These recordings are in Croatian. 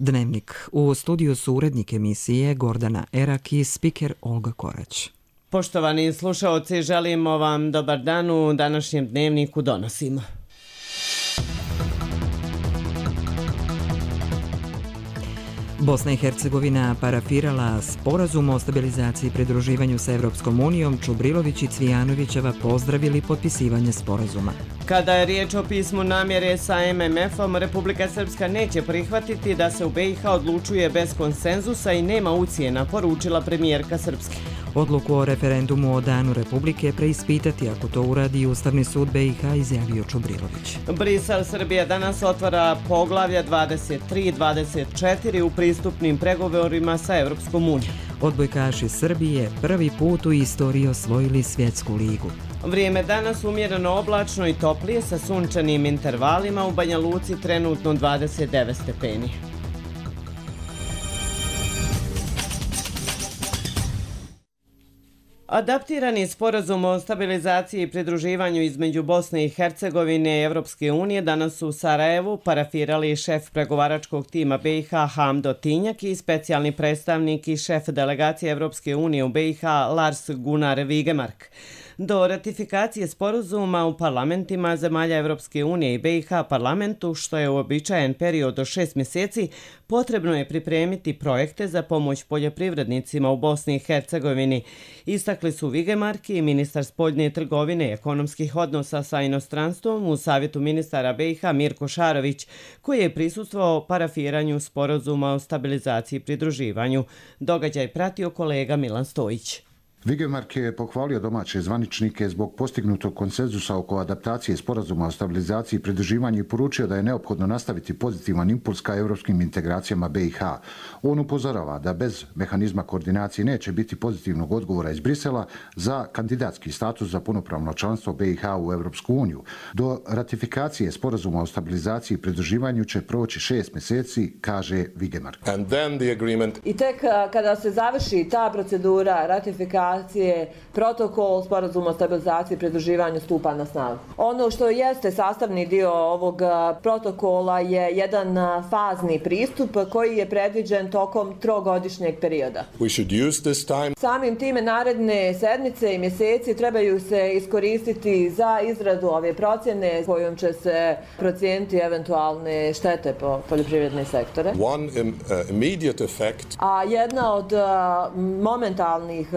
Dnevnik. U studiju su urednik emisije Gordana Erak i spiker Olga Korać. Poštovani slušaoci, želimo vam dobar dan. U današnjem dnevniku donosimo. Bosna i Hercegovina parafirala sporazum o stabilizaciji i pridruživanju sa Evropskom unijom. Čubrilović i Cvijanovićeva pozdravili potpisivanje sporazuma. Kada je riječ o pismu namjere sa MMF-om, Republika Srpska neće prihvatiti da se u BiH odlučuje bez konsenzusa i nema ucjena, poručila premijerka Srpske. Odluku o referendumu o Danu Republike preispitati ako to uradi Ustavni sud BiH, izjavio Čubrilović. Brisel Srbija danas otvara poglavlja 23 i 24 u pristupnim pregovorima sa Evropskom unijom. Odbojkaši Srbije prvi put u istoriji osvojili svjetsku ligu. Vrijeme danas umjereno oblačno i toplije sa sunčanim intervalima, u Banja Luci trenutno 29 stepeni. Adaptirani sporazum o stabilizaciji i pridruživanju između Bosne i Hercegovine i Evropske unije danas su u Sarajevu parafirali šef pregovaračkog tima BiH Hamdo Tinjak i specijalni predstavnik i šef delegacije Evropske unije u BiH Lars Gunnar Vigemark. Do ratifikacije sporazuma u parlamentima zemalja Evropske unije i BiH parlamentu, što je uobičajen period od 6 mjeseci, potrebno je pripremiti projekte za pomoć poljoprivrednicima u Bosni i Hercegovini. Istakli su Vigemark i ministar spoljne trgovine i ekonomskih odnosa sa inostranstvom u Savjetu ministara BiH Mirko Šarović, koji je prisustvovao parafiranju sporazuma o stabilizaciji i pridruživanju. Događaj pratio kolega Milan Stojić. Vigemark je pohvalio domaće zvaničnike zbog postignutog konsenzusa oko adaptacije sporazuma o stabilizaciji i pridruživanju i poručio da je neophodno nastaviti pozitivan impuls ka evropskim integracijama BiH. On upozorava da bez mehanizma koordinacije neće biti pozitivnog odgovora iz Brisela za kandidatski status za punopravno članstvo BiH u Evropsku uniju. Do ratifikacije sporazuma o stabilizaciji i pridruživanju će proći 6 mjeseci, kaže Vigemark. I tek kada se završi ta procedura ratifikacije, protokol sporazuma o stabilizaciji i pridruživanju stupa na snagu. Ono što jeste sastavni dio ovog protokola je jedan fazni pristup koji je predviđen tokom 3-godišnjeg perioda. Samim time naredne sedmice i mjeseci trebaju se iskoristiti za izradu ove procjene kojom će se procijeniti eventualne štete po poljoprivredne sektore. A jedna od momentalnih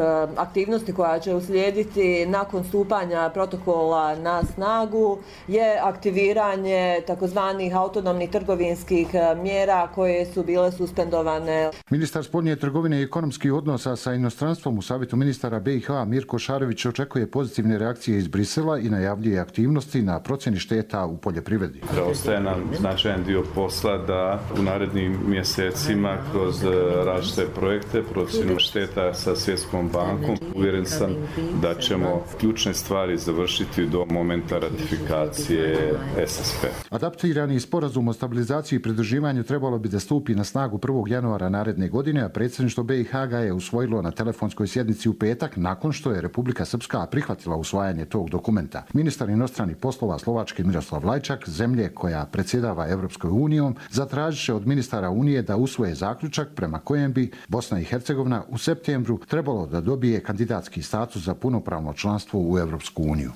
aktivnosti koja će uslijediti nakon stupanja protokola na snagu je aktiviranje takozvanih autonomnih trgovinskih mjera koje su bile suspendovane. Ministar spoljne trgovine i ekonomskih odnosa sa inostranstvom u Savjetu ministara BiH Mirko Šarović očekuje pozitivne reakcije iz Brisela i najavljuje aktivnosti na procjeni šteta u poljoprivredi. Ostaje nam značajan dio posla da u narednim mjesecima kroz različite projekte procjenu šteta sa Svjetskom bankom. Uvjeren sam da ćemo ključne stvari završiti do momenta ratifikacije SSP. Adaptirani sporazum o stabilizaciji i pridruživanju trebalo bi da stupi na snagu 1. januara naredne godine, a predsjedništvo BiH ga je usvojilo na telefonskoj sjednici u petak nakon što je Republika Srpska prihvatila usvajanje tog dokumenta. Ministar inostranih poslova Slovačke Miroslav Lajčak, zemlje koja predsjedava Evropskoj unijom, zatražit će od ministara Unije da usvoje zaključak prema kojem bi Bosna i Hercegovina u septembru trebalo da dobije kandidatski status za punopravno članstvo u Evropsku uniju.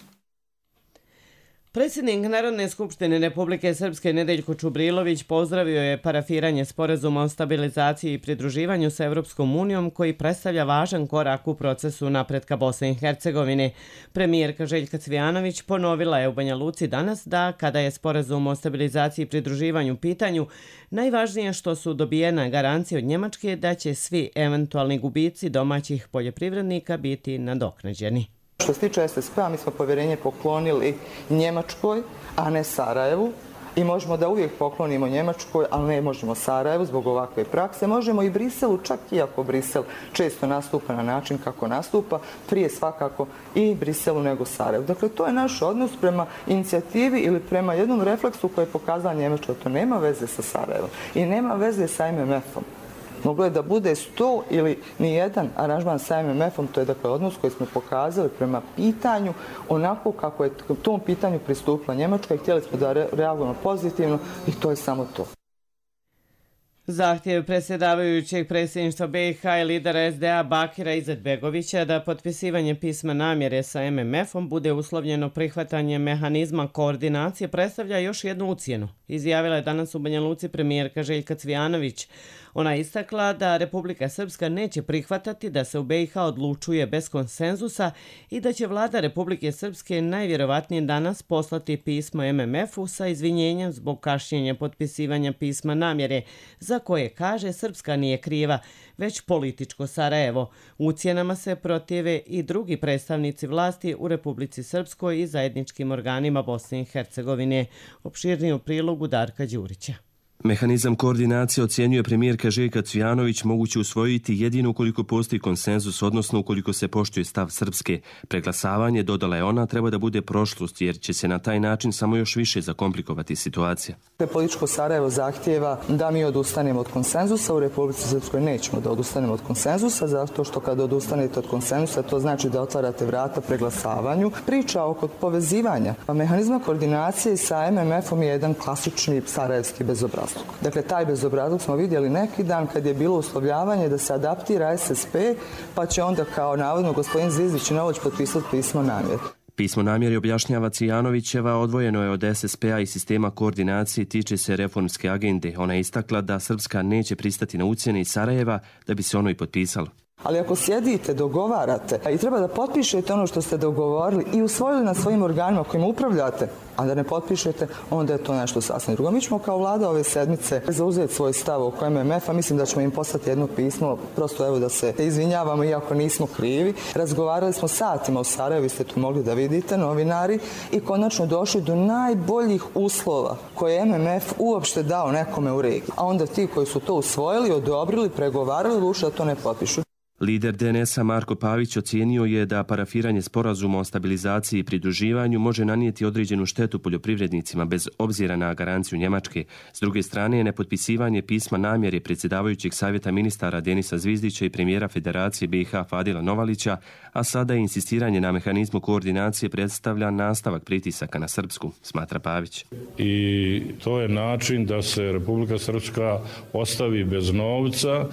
Predsjednik Narodne skupštine Republike Srpske Nedeljko Čubrilović pozdravio je parafiranje sporazuma o stabilizaciji i pridruživanju sa Evropskom unijom koji predstavlja važan korak u procesu napretka Bosne i Hercegovine. Premijerka Željka Cvijanović ponovila je u Banja Luci danas da kada je sporazum o stabilizaciji i pridruživanju u pitanju, najvažnije što su dobijena garancija od Njemačke da će svi eventualni gubici domaćih poljoprivrednika biti nadoknađeni. Što se tiče SSP-a, mi smo povjerenje poklonili Njemačkoj, a ne Sarajevu. I možemo da uvijek poklonimo Njemačkoj, ali ne možemo Sarajevu zbog ovakve prakse. Možemo i Briselu, čak i ako Brisel često nastupa na način kako nastupa, prije svakako i Briselu nego Sarajevu. Dakle, to je naš odnos prema inicijativi ili prema jednom refleksu koji je pokazala Njemačka. To nema veze sa Sarajevom i nema veze sa MMF-om. Moglo je da bude 100 ili nijedan aranžman sa MMF-om, to je dakle odnos koji smo pokazali prema pitanju onako kako je tom pitanju pristupila Njemačka i htjeli smo da reagujemo pozitivno i to je samo to. Zahtjev predsjedavajućeg predsjedništva BiH i lidera SDA Bakira Izetbegovića da potpisivanje pisma namjere sa MMF-om bude uslovljeno prihvatanjem mehanizma koordinacije predstavlja još jednu ucjenu, izjavila je danas u Banja Luci premijerka Željka Cvijanović. Ona je istakla da Republika Srpska neće prihvatati da se u BiH odlučuje bez konsenzusa i da će vlada Republike Srpske najvjerovatnije danas poslati pismo MMF-u sa izvinjenjem zbog kašnjenja potpisivanja pisma namjere, za koje, kaže, Srpska nije kriva, već političko Sarajevo. Ucjenama se protive i drugi predstavnici vlasti u Republici Srpskoj i zajedničkim organima Bosne i Hercegovine. Opširniji u prilogu Darka Đurića. Mehanizam koordinacije ocjenjuje premijerka Željka Cvijanović moguće usvojiti jedino ukoliko postoji konsenzus, odnosno ukoliko se poštuje stav Srpske. Preglasavanje, dodala je ona, treba da bude prošlost jer će se na taj način samo još više zakomplikovati situacija. Političko Sarajevo zahtijeva da mi odustanemo od konsenzusa. U Republici Srpskoj nećemo da odustanemo od konsenzusa, zato što kada odustanete od konsenzusa to znači da otvarate vrata preglasavanju. Priča oko povezivanja mehanizma koordinacije sa MMF-om je jedan klasični sarajevski bezobrazluk. Dakle, taj bezobrazluk smo vidjeli neki dan kad je bilo uslovljavanje da se adaptira SSP, pa će onda kao navodno gospodin Zvizdić Novoć potpisati pismo namjere. Pismo namjere, objašnjava Cvijanovićeva, odvojeno je od SSP-a i sistema koordinacije, tiče se reformske agende. Ona je istakla da Srpska neće pristati na ucjene iz Sarajeva da bi se ono i potpisalo. Ali ako sjedite, dogovarate i treba da potpišete ono što ste dogovorili i usvojili na svojim organima kojim upravljate, a da ne potpišete, onda je to nešto sasvim drugo. Mi ćemo kao vlada ove sedmice zauzeti svoj stav oko MMF-a. Mislim da ćemo im poslati jedno pismo, prosto evo da se izvinjavamo iako nismo krivi. Razgovarali smo satima u Sarajevu, vi ste tu mogli da vidite, novinari, i konačno došli do najboljih uslova koje je MMF uopšte dao nekome u regiji. A onda ti koji su to usvojili, odobrili, pregovarali, odlučili da to ne potpišu. Lider DNS-a Marko Pavić ocijenio je da parafiranje sporazuma o stabilizaciji i pridruživanju može nanijeti određenu štetu poljoprivrednicima bez obzira na garanciju Njemačke. S druge strane, nepotpisivanje pisma namjere predsjedavajućeg savjeta ministara Denisa Zvizdića i premijera Federacije BiH Fadila Novalića, a sada i insistiranje na mehanizmu koordinacije predstavlja nastavak pritisaka na Srpsku, smatra Pavić. I to je način da se Republika Srpska ostavi bez novca,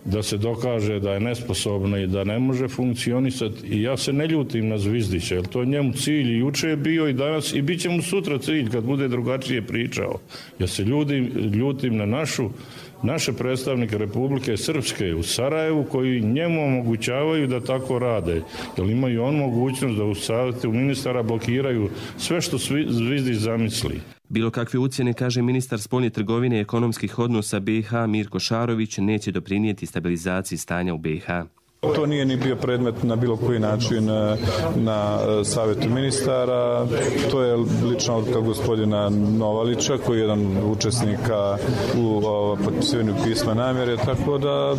da se dokaže da je nesposobna i da ne može funkcionisati. I ja se ne ljutim na Zvizdića, jer to je njemu cilj i juče je bio i danas i bit će mu sutra cilj kad bude drugačije pričao. Ja se ljutim na naše predstavnike Republike Srpske u Sarajevu koji njemu omogućavaju da tako rade. Jer imaju on mogućnost da u savjetu ministara blokiraju sve što Zvizdić zamisli. Bilo kakve ucjene, kaže ministar spoljne trgovine i ekonomskih odnosa BiH Mirko Šarović, neće doprinijeti stabilizaciji stanja u BiH. To nije ni bio predmet na bilo koji način na savjetu ministara. To je lična odluka gospodina Novalića, koji je jedan učesnika u potpisivanju pisma namjere, tako da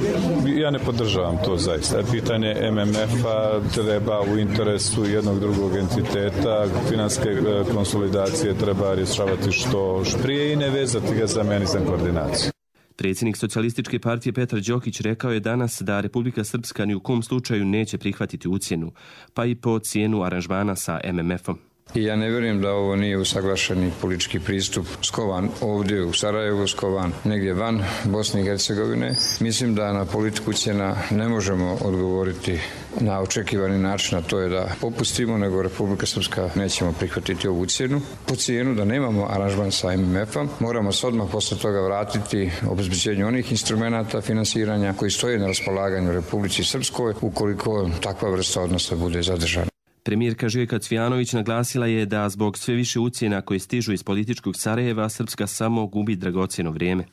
ja ne podržavam to zaista. Pitanje MMF-a treba u interesu jednog drugog entiteta, finanske konsolidacije treba rješavati što prije i ne vezati ga za mehanizam koordinacije. Predsjednik Socijalističke partije Petar Đokić rekao je danas da Republika Srpska ni u kom slučaju neće prihvatiti ucjenu, pa i po cijenu aranžmana sa MMF-om. I ja ne vjerujem da ovo nije usaglašeni politički pristup skovan ovdje u Sarajevu, skovan negdje van Bosne i Hercegovine. Mislim da na politiku ucjena ne možemo odgovoriti na očekivani način, a to je da popustimo, nego Republika Srpska nećemo prihvatiti ovu ucjenu. Po cijenu da nemamo aranžman sa MMF-om, moramo se odmah posle toga vratiti obezbeđenju onih instrumenata finansiranja koji stoje na raspolaganju Republici Srpskoj ukoliko takva vrsta odnosa bude zadržana. Premijerka Željka Cvijanović naglasila je da zbog sve više ucjena koje stižu iz političkog Sarajeva, Srpska samo gubi dragocjeno vrijeme.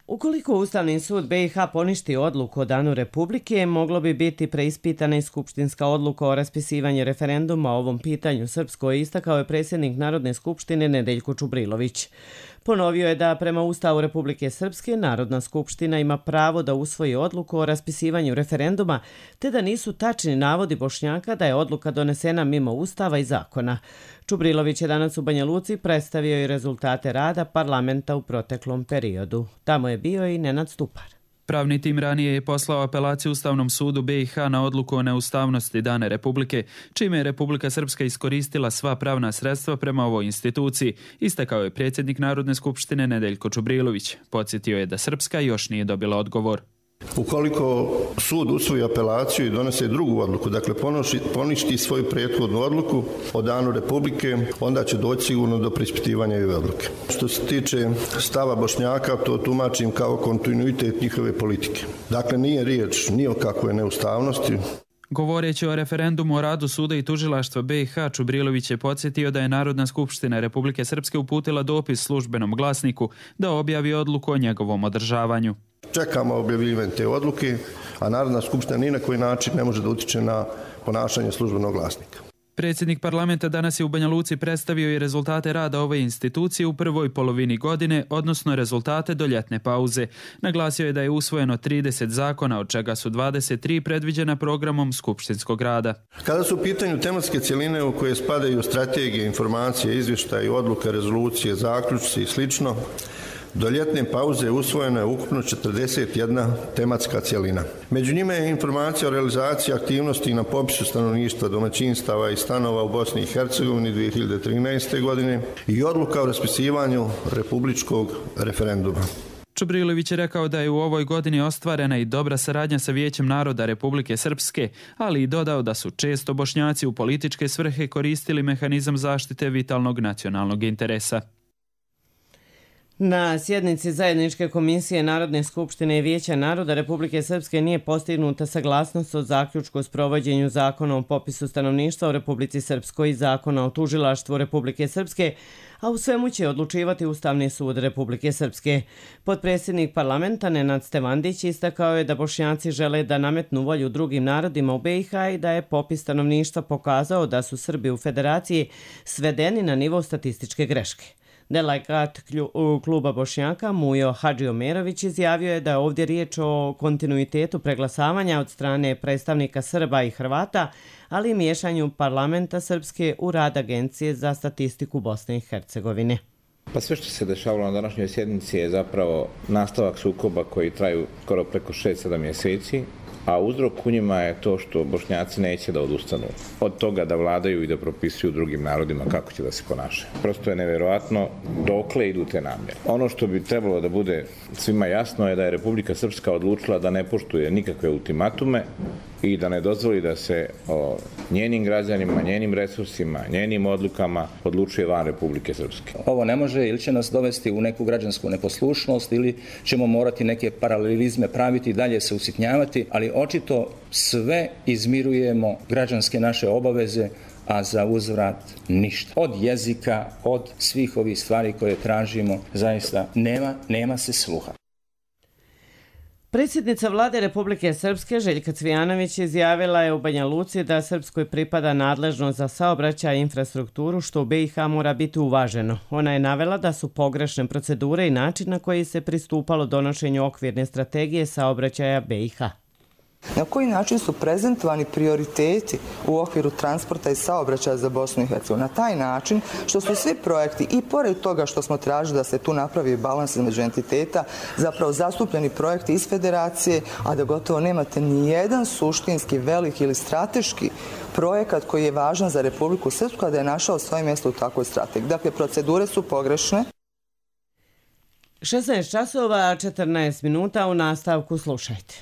Ukoliko Ustavni sud BiH poništi odluku o danu Republike, moglo bi biti preispitana i skupštinska odluka o raspisivanju referenduma o ovom pitanju. Srpsko je istakao je predsjednik Narodne skupštine Nedeljko Čubrilović. Ponovio je da prema Ustavu Republike Srpske Narodna skupština ima pravo da usvoji odluku o raspisivanju referenduma, te da nisu tačni navodi Bošnjaka da je odluka donesena mimo Ustava i zakona. Čubrilović je danas u Banja Luci predstavio i rezultate rada parlamenta u proteklom periodu. Tamo je bio i Nenad Stupar. Pravni tim ranije je poslao apelaciju Ustavnom sudu BiH na odluku o neustavnosti dane Republike, čime je Republika Srpska iskoristila sva pravna sredstva prema ovoj instituciji, istakao je predsjednik Narodne skupštine Nedeljko Čubrilović. Podsjetio je da Srpska još nije dobila odgovor. Ukoliko sud usvoji apelaciju i donese drugu odluku, dakle poništi svoju prethodnu odluku o danu Republike, onda će doći sigurno do preispitivanja i ove odluke. Što se tiče stava Bošnjaka, to tumačim kao kontinuitet njihove politike. Dakle, nije riječ ni o kakvoj neustavnosti. Govoreći o referendumu o radu suda i tužilaštva BiH, Čubrilović je podsjetio da je Narodna skupština Republike Srpske uputila dopis službenom glasniku da objavi odluku o njegovom održavanju. Čekamo objavljivanje te odluke, a Narodna skupština ni na koji način ne može da utiče na ponašanje službenog glasnika. Predsjednik parlamenta danas je u Banja Luci predstavio i rezultate rada ove institucije u prvoj polovini godine, odnosno rezultate do ljetne pauze. Naglasio je da je usvojeno 30 zakona, od čega su 23 predviđena programom skupštinskog rada. Kada su u pitanju tematske cjeline u koje spadaju strategije, informacije, izvještaje, odluke, rezolucije, zaključci i slično, do ljetne pauze usvojeno je ukupno 41 tematska cjelina. Među njima je informacija o realizaciji aktivnosti na popisu stanovništva, domaćinstava i stanova u Bosni i Hercegovini 2013. godine i odluka o raspisivanju republičkog referenduma. Čubrilović je rekao da je u ovoj godini ostvarena i dobra saradnja sa Vijećem naroda Republike Srpske, ali i dodao da su često Bošnjaci u političke svrhe koristili mehanizam zaštite vitalnog nacionalnog interesa. Na sjednici Zajedničke komisije Narodne skupštine i Vijeća naroda Republike Srpske nije postignuta saglasnost o zaključku o sprovođenju zakona o popisu stanovništva u Republici Srpskoj i zakona o tužilaštvu Republike Srpske, a u svemu će odlučivati Ustavni sud Republike Srpske. Potpredsjednik parlamenta Nenad Stevandić istakao je da Bošnjaci žele da nametnu volju drugim narodima u BiH i da je popis stanovništva pokazao da su Srbi u federaciji svedeni na nivo statističke greške. Delegat kluba Bošnjaka Mujo Hadžiomerović izjavio je da je ovdje riječ o kontinuitetu preglasavanja od strane predstavnika Srba i Hrvata, ali i miješanju parlamenta Srpske u rad Agencije za statistiku Bosne i Hercegovine. Pa sve što se dešavalo na današnjoj sjednici je zapravo nastavak sukoba koji traju skoro preko 6-7 mjeseci, a uzrok u njima je to što Bošnjaci neće da odustanu od toga da vladaju i da propisuju drugim narodima kako će da se ponašaju. Prosto je nevjerovatno dokle idu te namjere. Ono što bi trebalo da bude svima jasno je da je Republika Srpska odlučila da ne poštuje nikakve ultimatume i da ne dozvoli da se o njenim građanima, njenim resursima, njenim odlukama odlučuje van Republike Srpske. Ovo ne može ili će nas dovesti u neku građansku neposlušnost ili ćemo morati neke paralelizme praviti i dalje se usitnjavati, ali očito sve izmirujemo građanske naše obaveze, a za uzvrat ništa. Od jezika, od svih ovih stvari koje tražimo, zaista nema se sluha. Predsjednica vlade Republike Srpske Željka Cvijanović izjavila je u Banja Luci da Srpskoj pripada nadležnost za saobraćaj i infrastrukturu, što u BiH mora biti uvaženo. Ona je navela da su pogrešne procedure i način na koji se pristupalo donošenju okvirne strategije saobraćaja BiH. Na koji način su prezentovani prioriteti u okviru transporta i saobraćaja za Bosnu i Hercegovinu? Na taj način što su svi projekti, i pored toga što smo tražili da se tu napravi balans između entiteta, zapravo zastupljeni projekti iz federacije, a da gotovo nemate ni jedan suštinski, veliki ili strateški projekat koji je važan za Republiku Srpsku, a da je našao svoje mjesto u takvoj strategiji. Dakle, procedure su pogrešne. 16 časova, 14 minuta, u nastavku slušajte.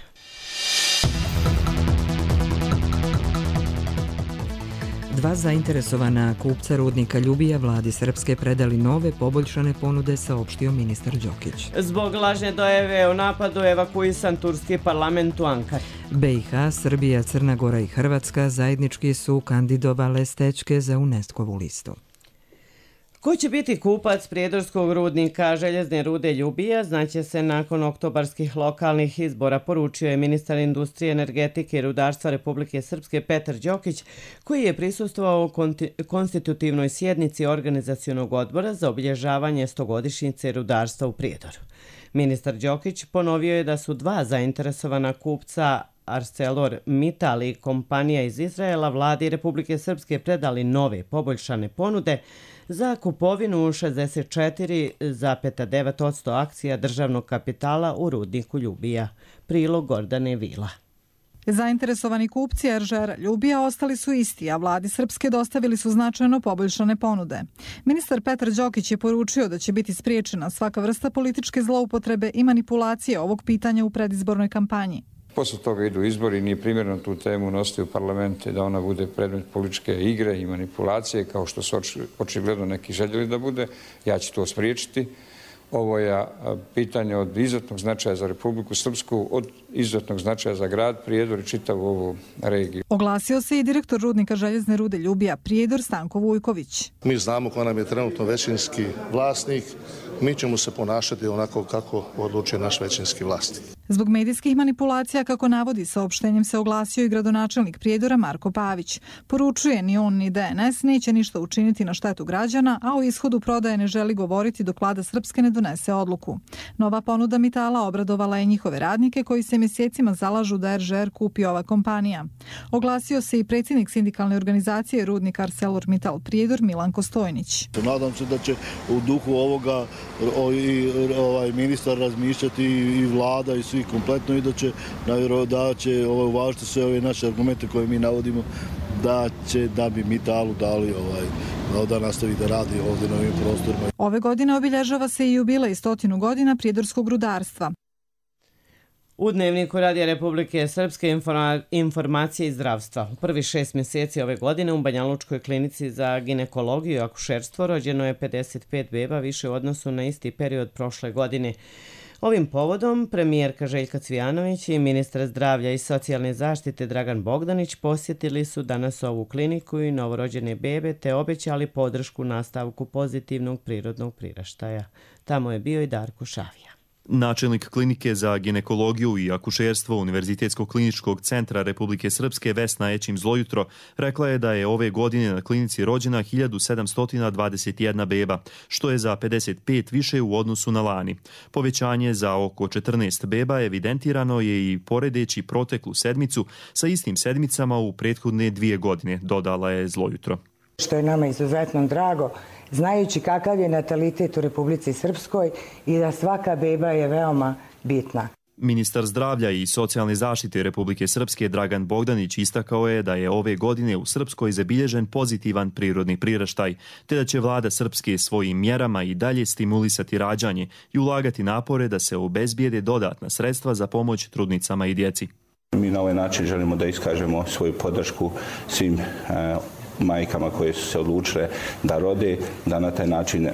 Dva zainteresovana kupca rudnika Ljubija vladi Srpske predali nove poboljšane ponude, saopštio ministar Đokić. Zbog lažne dojave o napadu evakuisan turski parlament u Ankari. BiH, Srbija, Crna Gora i Hrvatska zajednički su kandidovale stečke za UNESCO-vu listu. Ko će biti kupac prijedorskog rudnika željezne rude Ljubija znaće se nakon oktobarskih lokalnih izbora, poručio je ministar industrije, energetike i rudarstva Republike Srpske Petar Đokić, koji je prisustvovao konstitutivnoj sjednici organizacionog odbora za obilježavanje 100-godišnjice rudarstva u Prijedoru. Ministar Đokić ponovio je da su dva zainteresovana kupca, ArcelorMittal i kompanija iz Izraela, vladi Republike Srpske predali nove poboljšane ponude za kupovinu 64,9% akcija državnog kapitala u rudniku Ljubija. Prilog Gordane Vila. Zainteresovani kupci RŽR Ljubija ostali su isti, a vladi Srpske dostavili su značajno poboljšane ponude. Ministar Petar Đokić je poručio da će biti spriječena svaka vrsta političke zloupotrebe i manipulacije ovog pitanja u predizbornoj kampanji. Posle toga idu izbori, nije primjerno tu temu nositi u parlamente da ona bude predmet političke igre i manipulacije, kao što su očigledno neki željeli da bude. Ja ću to spriječiti. Ovo je pitanje od izuzetnog značaja za Republiku Srpsku, od izuzetnog značaja za grad Prijedor i čitavu ovu regiju. Oglasio se i direktor rudnika željezne rude Ljubija Prijedor Stanko Vujković. Mi znamo ko nam je trenutno većinski vlasnik, mi ćemo se ponašati onako kako odlučuje naš većinski vlasnik. Zbog medijskih manipulacija, kako navodi saopštenjem, se oglasio i gradonačelnik Prijedora Marko Pavić. Poručuje, ni on ni DNS neće ništa učiniti na štetu građana, a o ishodu prodaje ne želi govoriti dok vlada Srpske ne donese odluku. Nova ponuda Mitala obradovala je njihove radnike koji se mjesecima zalažu da RŽR kupi ova kompanija. Oglasio se i predsjednik sindikalne organizacije rudnik ArcelorMittal Prijedor Milanko Stojnić. Nadam se da će u duhu ovoga i ministar razmišljati i vlada i svi kompletno i da će uvažiti sve ove naše argumente koje mi navodimo da bi Mitalu dali da nastavi da radi ovdje na ovim prostorima. Ove godine obilježava se i jubilej 100 godina prijedorskog rudarstva. U Dnevniku Radija Republike Srpske informacije iz zdravstva. U prvih 6 mjeseci ove godine u Banjalučkoj klinici za ginekologiju i akušerstvo rođeno je 55 beba više u odnosu na isti period prošle godine. Ovim povodom premijerka Željka Cvijanović i ministar zdravlja i socijalne zaštite Dragan Bogdanić posjetili su danas ovu kliniku i novorođene bebe te obećali podršku nastavku pozitivnog prirodnog priraštaja. Tamo je bio i Darko Šavija. Načelnik klinike za ginekologiju i akušerstvo Univerzitetskog kliničkog centra Republike Srpske Vesna Ećim Zlojutro rekla je da je ove godine na klinici rođena 1721 beba, što je za 55 više u odnosu na lani. Povećanje za oko 14 beba evidentirano je i poredeći proteklu sedmicu sa istim sedmicama u prethodne 2 godine, dodala je Zlojutro. Što je nama izuzetno drago, znajući kakav je natalitet u Republici Srpskoj i da svaka beba je veoma bitna. Ministar zdravlja i socijalne zaštite Republike Srpske Dragan Bogdanić istakao je da je ove godine u Srpskoj zabilježen pozitivan prirodni priraštaj, te da će vlada Srpske svojim mjerama i dalje stimulisati rađanje i ulagati napore da se obezbijede dodatna sredstva za pomoć trudnicama i djeci. Mi na ovaj način želimo da iskažemo svoju podršku svim majkama koje su se odlučile da rode, da na taj način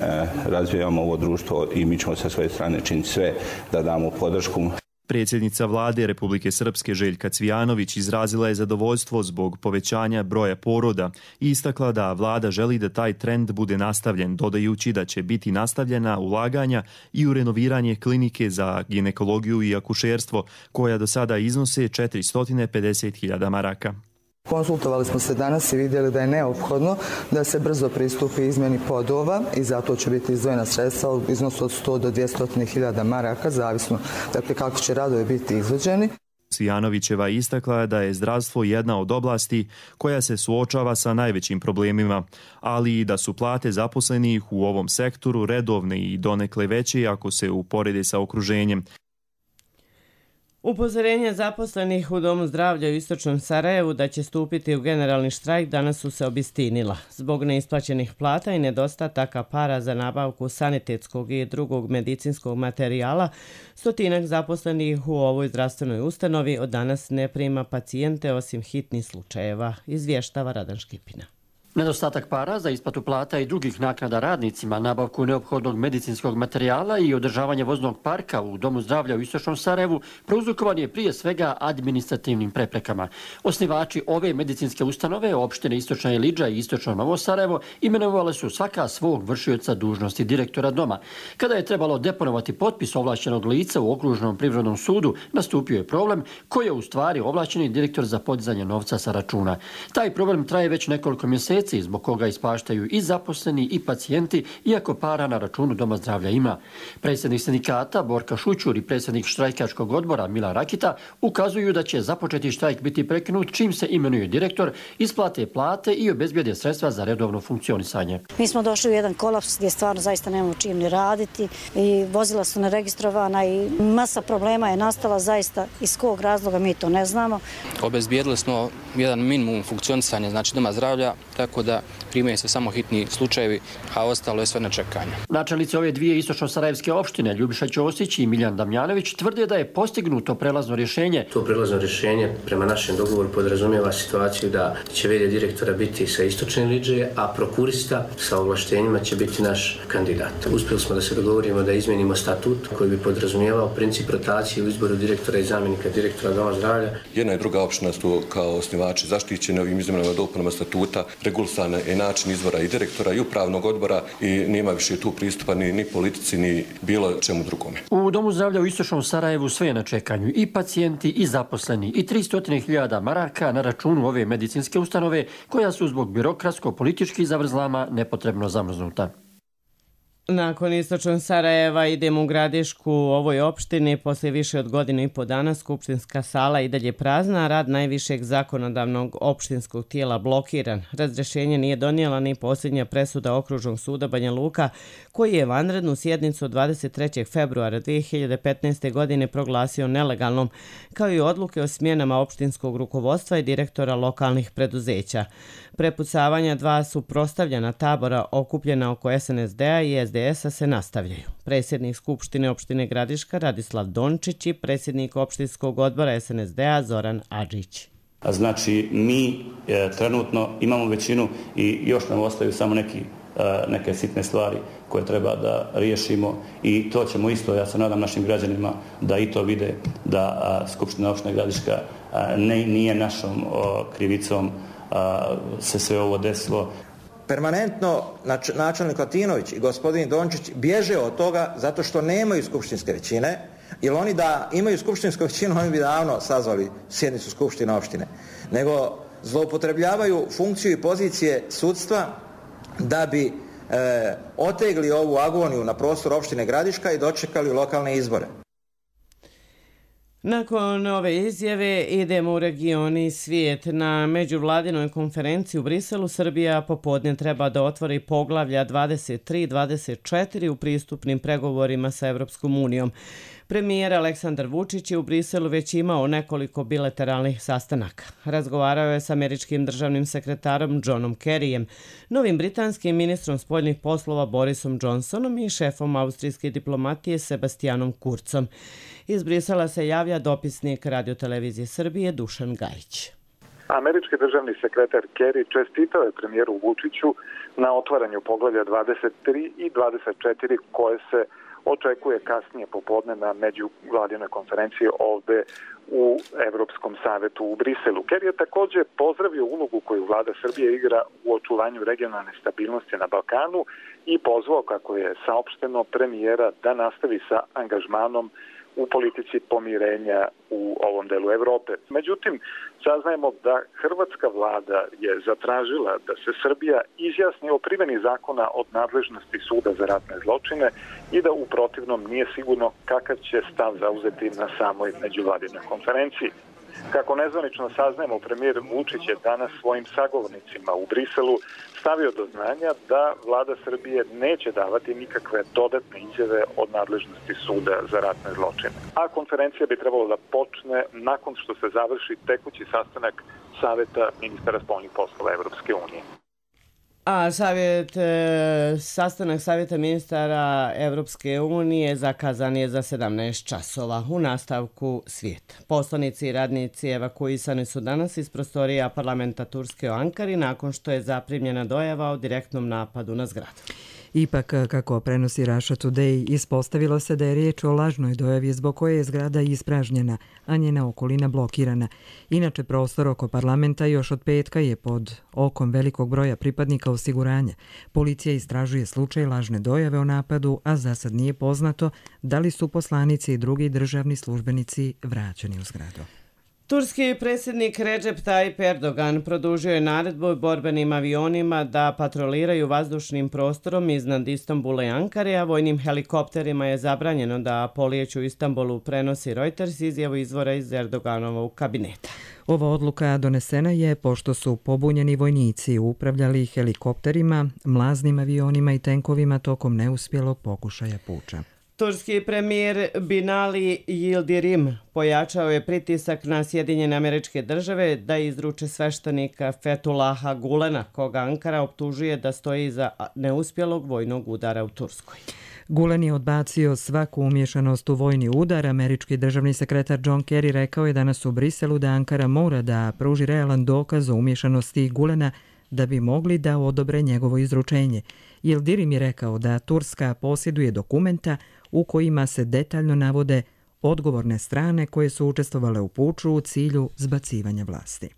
razvijamo ovo društvo i mi ćemo sa svoje strane činiti sve da damo podršku. Predsjednica vlade Republike Srpske Željka Cvijanović izrazila je zadovoljstvo zbog povećanja broja poroda i istakla da vlada želi da taj trend bude nastavljen, dodajući da će biti nastavljena ulaganja i u renoviranje klinike za ginekologiju i akušerstvo, koja do sada iznose 450.000 maraka. Konsultovali smo se danas i vidjeli da je neophodno da se brzo pristupi izmjeni podova i zato će biti izdvojena sredstva u iznosu od 100 do 200.000 maraka, zavisno kako će radovi biti izvođeni. Cvijanovićeva istakla da je zdravstvo jedna od oblasti koja se suočava sa najvećim problemima, ali i da su plate zaposlenih u ovom sektoru redovne i donekle veće ako se uporede sa okruženjem. Upozorenje zaposlenih u Domu zdravlja u Istočnom Sarajevu da će stupiti u generalni štrajk danas su se obistinila. Zbog neisplaćenih plata i nedostataka para za nabavku sanitetskog i drugog medicinskog materijala, 100 zaposlenih u ovoj zdravstvenoj ustanovi od danas ne prima pacijente osim hitnih slučajeva, izvještava Radan Škipina. Nedostatak para za isplatu plata i drugih naknada radnicima, nabavku neophodnog medicinskog materijala i održavanje voznog parka u Domu zdravlja u Istočnom Sarajevu prouzrokovan je prije svega administrativnim preprekama. Osnivači ove medicinske ustanove, opštine Istočna Ilidža i Istočno Novo Sarajevo, imenovali su svaka svog vršioca dužnosti direktora doma. Kada je trebalo deponovati potpis ovlašćenog lica u okružnom privrednom sudu, nastupio je problem koji je u stvari ovlašćeni direktor za podizanje novca sa računa. Taj problem traje već nekoliko mjeseci mjeseci, zbog koga ispaštaju i zaposleni i pacijenti, iako para na računu Doma zdravlja ima. Predsjednik sindikata Borka Šućur i predsjednik štrajkačkog odbora Milan Rakita ukazuju da će započeti štrajk biti prekinut čim se imenuje direktor, isplate plate i obezbijede sredstva za redovno funkcionisanje. Mi smo došli u jedan kolaps gdje stvarno zaista nemamo čim ni raditi i vozila su neregistrovana i masa problema je nastala, zaista iz kog razloga mi to ne znamo. Obezbijedili smo jedan minimum funkcionisanja, znači Doma zdravlja, tako da primaju se samo hitni slučajevi, a ostalo je sve na čekanje. Načelnici ove dvije istočno-sarajevske opštine, Ljubiša Ćosić i Miljan Damjanović, tvrde da je postignuto prelazno rješenje. To prelazno rješenje prema našem dogovoru podrazumijeva situaciju da će v.d. direktora biti sa istočne Lidže, a prokurista sa ovlaštenjima će biti naš kandidat. Uspjeli smo da se dogovorimo da izmenimo statut koji bi podrazumijevao princip rotacije u izboru direktora i zamjenika direktora Doma zdravlja. Jedna i druga opština su kao osnivači zaštićeni ovim izmenama i dopunama statuta, regulisana je način izbora i direktora i upravnog odbora i nema više tu pristupa ni politici ni bilo čemu drugome. U Domu zdravlja u istočnom Sarajevu sve je na čekanju, i pacijenti i zaposleni, i 300.000 maraka na računu ove medicinske ustanove koja su zbog birokratsko-političkih zavrzlama nepotrebno zamrznuta. Nakon istočnog Sarajeva idemo u Gradišku. U ovoj opštini poslije više od godinu i po dana skupštinska sala i dalje prazna, a rad najvišeg zakonodavnog opštinskog tijela blokiran. Razrješenje nije donijela ni posljednja presuda Okružnog suda Banja Luka, koji je vanrednu sjednicu od 23. februara 2015. godine proglasio nelegalnom, kao i odluke o smjenama opštinskog rukovodstva i direktora lokalnih preduzeća. Prepucavanja dva suprotstavljena tabora okupljena oko SNSD-a i SDS-a se nastavljaju. Predsjednik Skupštine opštine Gradiška Radislav Dončić i predsjednik opštinskog odbora SNSD-a Zoran Adžić. Znači, mi trenutno imamo većinu i još nam ostaju samo neke sitne stvari koje treba da riješimo i to ćemo isto, ja se nadam našim građanima da i to vide, da Skupština opštine Gradiška nije našom krivicom se sve ovo desilo. Permanentno načelnik Latinović i gospodin Dončić bježe od toga zato što nemaju skupštinske većine, jer oni da imaju skupštinsku većinu oni bi davno sazvali sjednicu skupštine opštine, nego zloupotrebljavaju funkciju i pozicije sudstva da bi otegli ovu agoniju na prostoru opštine Gradiška i dočekali lokalne izbore. Nakon ove izjave idemo u region i svijet. Na međuvladinoj konferenciji u Briselu Srbija popodne treba da otvori poglavlja 23 i 24 u pristupnim pregovorima sa Evropskom unijom. Premijer Aleksandar Vučić je u Briselu već imao nekoliko bilateralnih sastanaka. Razgovarao je s američkim državnim sekretarom Johnom Kerryjem, novim britanskim ministrom spoljnih poslova Borisom Johnsonom i šefom austrijske diplomatije Sebastianom Kurzom. Iz Brisela se javlja dopisnik Radiotelevizije Srbije Dušan Gajić. Američki državni sekretar Kerry čestitao je premijeru Vučiću na otvaranju poglavlja 23 i 24 koje se očekuje kasnije popodne na međuvladinoj konferenciji ovde u Evropskom savetu u Briselu. Kerry je također pozdravio ulogu koju vlada Srbije igra u očuvanju regionalne stabilnosti na Balkanu i pozvao, kako je saopšteno, premijera da nastavi sa angažmanom u politici pomirenja u ovom delu Evrope. Međutim, saznajemo da hrvatska vlada je zatražila da se Srbija izjasni o primjeni zakona od nadležnosti suda za ratne zločine i da u protivnom nije sigurno kakav će stav zauzeti na samoj međuvladinoj konferenciji. Kako nezvanično saznajemo, premijer Vučić je danas svojim sagovornicima u Briselu stavio do znanja da vlada Srbije neće davati nikakve dodatne izjave od nadležnosti suda za ratne zločine. A konferencija bi trebalo da počne nakon što se završi tekući sastanak Saveta ministara spoljnih poslova Evropske unije. A sastanak Savjeta ministara Evropske unije zakazan je za 17 časova. U nastavku svijet. Poslanici i radnici evakuisani su danas iz prostorija parlamenta Turske u Ankari nakon što je zaprimljena dojava o direktnom napadu na zgradu. Ipak, kako prenosi Russia Today, ispostavilo se da je riječ o lažnoj dojavi zbog koje je zgrada ispražnjena, a njena okolina blokirana. Inače, prostor oko parlamenta još od petka je pod okom velikog broja pripadnika osiguranja. Policija istražuje slučaj lažne dojave o napadu, a za sad nije poznato da li su poslanici i drugi državni službenici vraćeni u zgradu. Turski predsjednik Recep Tayyip Erdogan produžio je naredbu borbenim avionima da patroliraju vazdušnim prostorom iznad Istanbula i Ankare, a vojnim helikopterima je zabranjeno da polijeću u Istanbulu, prenosi Reuters izjavu izvora iz Erdoganovog kabineta. Ova odluka donesena je pošto su pobunjeni vojnici upravljali helikopterima, mlaznim avionima i tenkovima tokom neuspjelog pokušaja puča. Turski premijer Binali Yildirim pojačao je pritisak na Sjedinjene Američke Države da izruče sveštenika Fethullaha Gulena, koga Ankara optužuje da stoji iza neuspjelog vojnog udara u Turskoj. Gulen je odbacio svaku umješanost u vojni udar. Američki državni sekretar John Kerry rekao je danas u Briselu da Ankara mora da pruži realan dokaz o umješanosti Gulena da bi mogli da odobre njegovo izručenje. Yildirim je rekao da Turska posjeduje dokumenta u kojima se detaljno navode odgovorne strane koje su učestvovale u puču u cilju zbacivanja vlasti.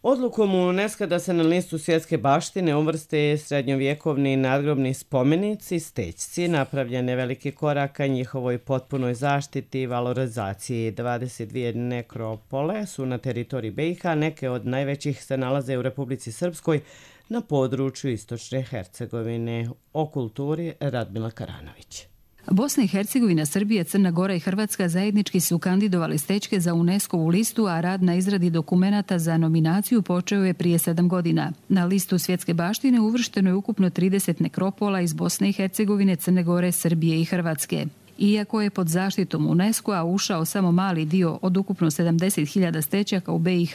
Odlukom UNESCO da se na listu svjetske baštine uvrste srednjovjekovni nadgrobni spomenici, stećci, napravljen je veliki korak ka njihovoj potpunoj zaštiti i valorizaciji. 22 nekropole su na teritoriji BiH, neke od najvećih se nalaze u Republici Srpskoj na području Istočne Hercegovine. O kulturi Radmila Karanović. Bosna i Hercegovina, Srbija, Crna Gora i Hrvatska zajednički su kandidovali stećke za UNESCO-vu listu, a rad na izradi dokumenata za nominaciju počeo je prije 7 godina. Na listu svjetske baštine uvršteno je ukupno 30 nekropola iz Bosne i Hercegovine, Crne Gore, Srbije i Hrvatske. Iako je pod zaštitom UNESCO-a ušao samo mali dio od ukupno 70.000 stećaka u BiH,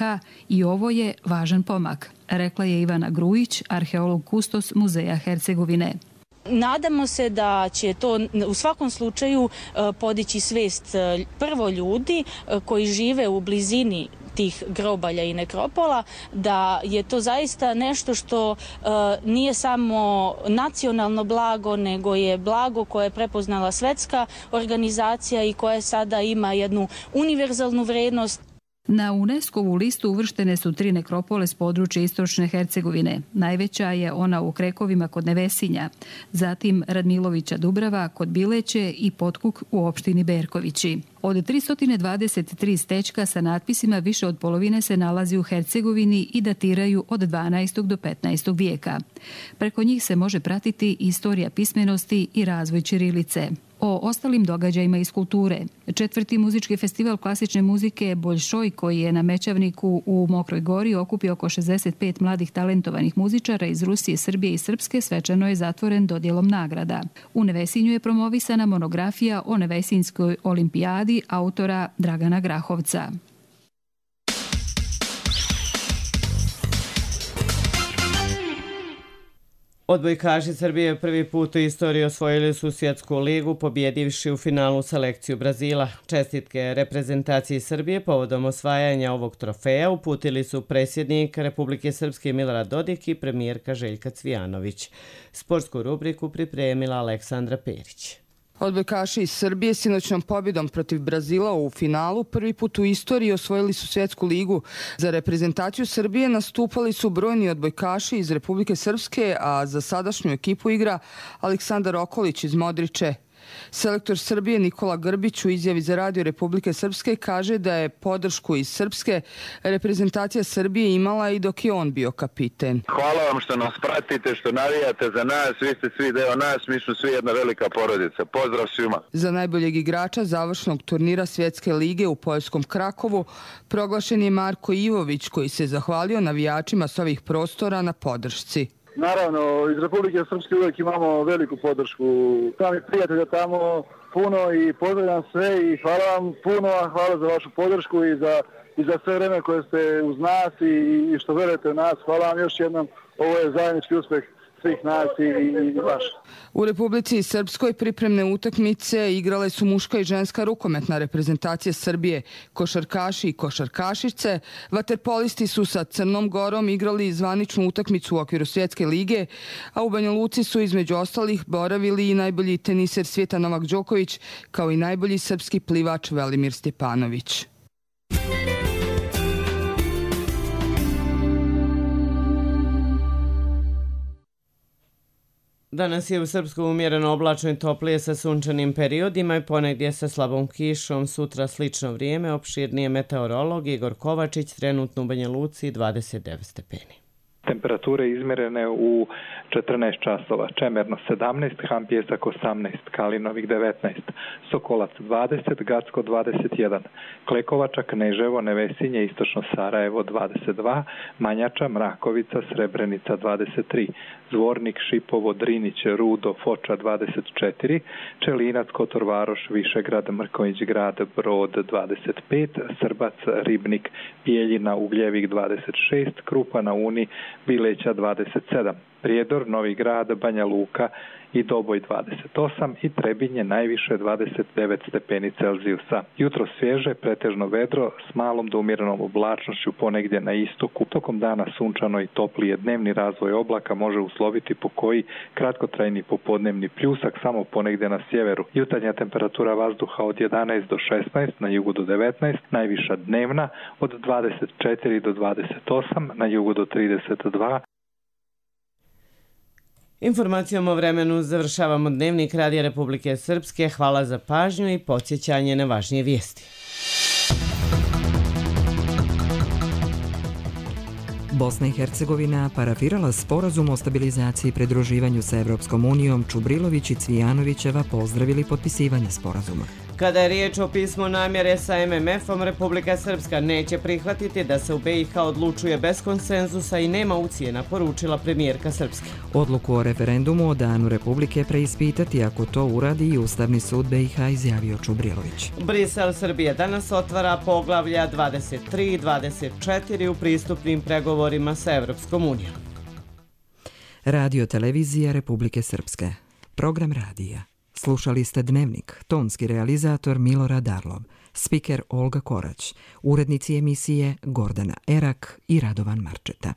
i ovo je važan pomak, rekla je Ivana Grujić, arheolog kustos Muzeja Hercegovine. Nadamo se da će to u svakom slučaju podići svijest prvo ljudi koji žive u blizini tih grobalja i nekropola, da je to zaista nešto što nije samo nacionalno blago, nego je blago koje je prepoznala svetska organizacija i koje sada ima jednu univerzalnu vrijednost. Na UNESCO-vu listu uvrštene su 3 nekropole s područja Istočne Hercegovine. Najveća je ona u Krekovima kod Nevesinja, zatim Radmilovića Dubrava kod Bileće i Potkuk u opštini Berkovići. Od 323 stećka sa natpisima više od polovine se nalazi u Hercegovini i datiraju od 12. do 15. vijeka. Preko njih se može pratiti istorija pismenosti i razvoj ćirilice. O ostalim događajima iz kulture. 4. muzički festival klasične muzike Boljšoj, koji je na Mećavniku u Mokroj Gori okupio oko 65 mladih talentovanih muzičara iz Rusije, Srbije i Srpske, svečano je zatvoren dodjelom nagrada. U Nevesinju je promovisana monografija o Nevesinjskoj olimpijadi autora Dragana Grahovca. Odbojkaši Srbije prvi put u istoriji osvojili su svjetsku ligu, pobjedivši u finalu selekciju Brazila. Čestitke reprezentaciji Srbije povodom osvajanja ovog trofeja uputili su predsjednik Republike Srpske Milorad Dodik i premijerka Željka Cvijanović. Sportsku rubriku pripremila Aleksandra Perić. Odbojkaši iz Srbije sinoćnom pobjedom protiv Brazila u finalu prvi put u istoriji osvojili su svjetsku ligu. Za reprezentaciju Srbije nastupali su brojni odbojkaši iz Republike Srpske, a za sadašnju ekipu igra Aleksandar Okolić iz Modriče. Selektor Srbije Nikola Grbić u izjavi za Radio Republike Srpske kaže da je podršku iz Srpske reprezentacija Srbije imala i dok je on bio kapiten. Hvala vam što nas pratite, što navijate za nas, vi ste svi deo nas, mi smo svi jedna velika porodica. Pozdrav svima. Za najboljeg igrača završnog turnira Svjetske lige u poljskom Krakovu proglašen je Marko Ivović, koji se zahvalio navijačima s ovih prostora na podršci. Naravno, iz Republike Srpske uvijek imamo veliku podršku. Sami prijatelja tamo puno i pozdravljam sve i hvala vam puno, hvala za vašu podršku i za sve vreme koje ste uz nas i što verujete u nas. Hvala vam još jednom, ovo je zajednički uspjeh svih nas i vaš. U Republici Srpskoj pripremne utakmice igrale su muška i ženska rukometna reprezentacija Srbije, košarkaši i košarkašice. Vaterpolisti su sa Crnom Gorom igrali zvaničnu utakmicu u okviru Svjetske lige, a u Banja Luci su između ostalih boravili i najbolji teniser svijeta Novak Đoković, kao i najbolji srpski plivač Velimir Stjepanović. Danas je u Srpsku umjereno oblačno i toplije sa sunčanim periodima i ponegdje sa slabom kišom. Sutra slično vrijeme, opširnije meteorolog Igor Kovačić, trenutno u Banja Luci 29 stepeni. Temperature izmjerene u 14 časova, Čemerno 17, Hampjesak 18, Kalinovik 19, Sokolac 20, Gacko 21, Klekovača, Kneževo, Nevesinje, Istočno Sarajevo 22, Manjača, Mrakovica, Srebrenica 23, Zvornik, Šipovo, Drinić, Rudo, Foča 24, Čelinac, Kotor Varoš, Višegrad, Mrkonjić Grad, Brod 25, Srbac, Ribnik, Bijeljina, Ugljevik 26, Krupa na Uni, Bileća 27, Prijedor, Novi Grad, Banja Luka i Doboj 28 i Trebinje najviše 29 stepeni Celzijusa. Jutro svježe, pretežno vedro s malom do umjerenom oblačnošću ponegdje na istoku. Tokom dana sunčano i toplije, dnevni razvoj oblaka može usloviti pokoji kratkotrajni popodnevni pljusak samo ponegdje na sjeveru. Jutarnja temperatura vazduha od 11 do 16, na jugu do 19, najviša dnevna od 24 do 28, na jugu do 32. Informacijom o vremenu završavamo Dnevnik Radija Republike Srpske. Hvala za pažnju i podsjećanje na važnije vijesti. Bosna i Hercegovina parafirala sporazum o stabilizaciji i pridruživanju sa Evropskom unijom. Čubrilović i Cvijanovićeva pozdravili potpisivanje sporazuma. Kada je riječ o pismu namjere sa MMF-om, Republika Srpska neće prihvatiti da se u BiH odlučuje bez konsenzusa i nema ucjena, poručila premijerka Srpske. Odluku o referendumu o danu Republike preispitati ako to uradi i Ustavni sud BiH, izjavio Čubrilović. Brisel Srbije danas otvara poglavlja 23 i 24 u pristupnim pregovorima sa Evropskom unijom. Radio televizija Republike Srpske. Program radija. Slušali ste Dnevnik, tonski realizator Milorad Darlov, spiker Olga Korać, urednici emisije Gordana Erak i Radovan Marčeta.